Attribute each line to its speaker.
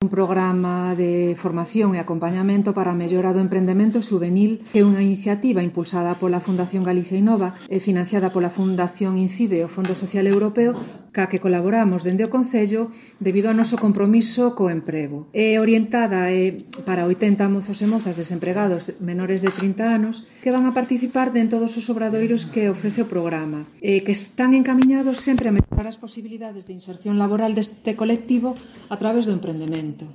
Speaker 1: Un programa de formación e acompañamento para a mellora do emprendemento juvenil é unha iniciativa impulsada pola Fundación Galicia Innova e financiada pola Fundación Incide e o Fondo Social Europeo, ca que colaboramos dende o Concello debido ao noso compromiso co emprego. É orientada para 80 mozos e mozas desempregados menores de 30 anos que van a participar en todos os obradoiros que ofrece o programa, que están encamiñados sempre a mellorar as posibilidades de inserción laboral deste colectivo a través do emprendemento.